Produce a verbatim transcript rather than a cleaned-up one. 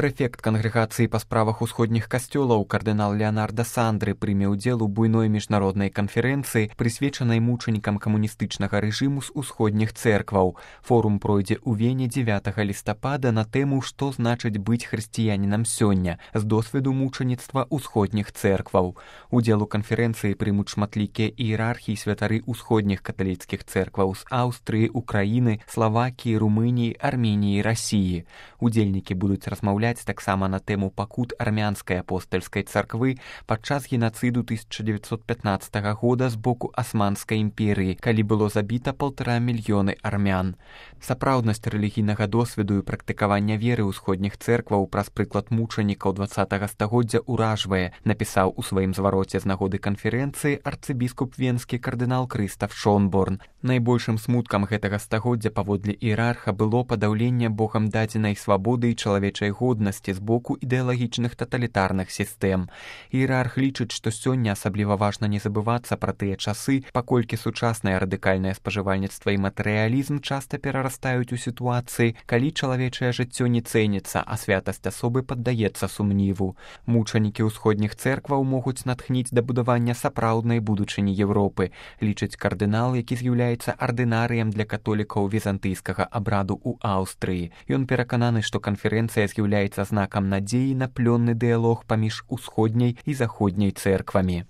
Прэфект кангрэгацыі па справах усходніх касцёлаў кардынал Леонарда Сандры прыме ўдзел у буйной міжнароднай канферэнцыі, прысвечанай мучанікам камуністычнага рэжыму з усходніх цэркваў. Форум пройдзе ў Вене дзевятага лістапада на тэму «Што значыць быць хрысціянінам сёння» з досведу мучаніцтва усходніх цэркваў. Удзел у канферэнцыі прымуць шматлікія іерархі і святары усходніх каталіцкіх цэркваў з Аўстрыі, Украіны, Славакіі, Румыніі, Арменіі, Расіі. Удзельнікі будуць размаўляць таксама на тэму пакут армянскай апостальскай царквы падчас генацыду тысяча дзевятьсот пятнаццатага года з боку Асманскай імперыі, калі было забіта паўтара мільёны армян. Сапраўднасць рэлігійнага досведу і практыкавання веры ўсходніх цэркваў праз прыклад мучанікаў дваццатага стагоддзя ўражвае, напісаў у сваім звароце з нагоды канферэнцыі арцыбіскуп венскі кардынал Крыстаф Шонборн. Найбольшым смуткам гэтага стагоддзя паводле іерарха было падаўленне Богам дадзенай свабоды і чалавечай годнасці з боку ідэалагічных таталітарных сістэм. Іерарх лічыць, што сёння асабліва важна не забывацца пра тыя часы, паколькі сучаснае радыкальнае спажывальніцтва і матэрыялізм часта перарастаюць у сітуацыі, калі чалавечае жыццё не цэніцца, а святасць асобы паддаецца сумніву. Мучанікі ўсходніх цэркваў могуць натхніць да будавання сапраўднай будучыні Еўропы, лічыць кардынал, які з'яўляецца ардынарыем для католікаў візантыйскага абраду ў Аўстрыі. Ён перакананы, што канферэнцыя з'яўляецца знакам надзеі на плённы дыялог паміж усходняй і заходняй цэрквамі.